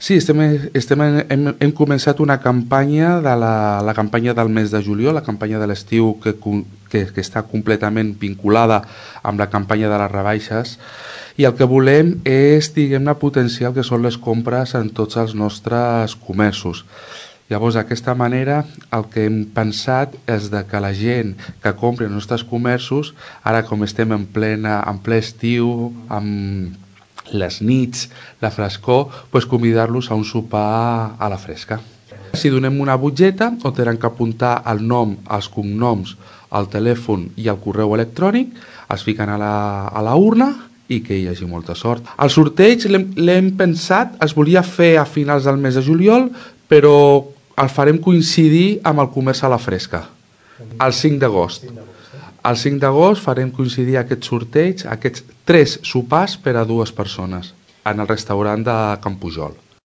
Sí, hem començat una campanya, la campanya del mes de juliol, la campanya de l'estiu que està completament vinculada amb la campanya de les rebaixes, i el que volem és, diguem-ne, potenciar el que són les compres en tots els nostres comerços. Llavors, d'aquesta manera, el que hem pensat és que la gent que compri els nostres comerços, ara com estem en ple estiu, amb les nits, la frescor, doncs convidar-los a un sopar a la fresca. Si donem una butgeta on tenen que apuntar el nom, els cognoms, el telèfon i el correu electrònic, es fiquen a la urna i que hi hagi molta sort. El sorteig l'hem pensat, es volia fer a finals del mes de juliol, però el farem coincidir amb el comerç a la fresca, el 5 d'agost. El 5 d'agost farem coincidir aquest sorteig, aquests 3 sopars per a 2 persones, en el restaurant de Can Pujol.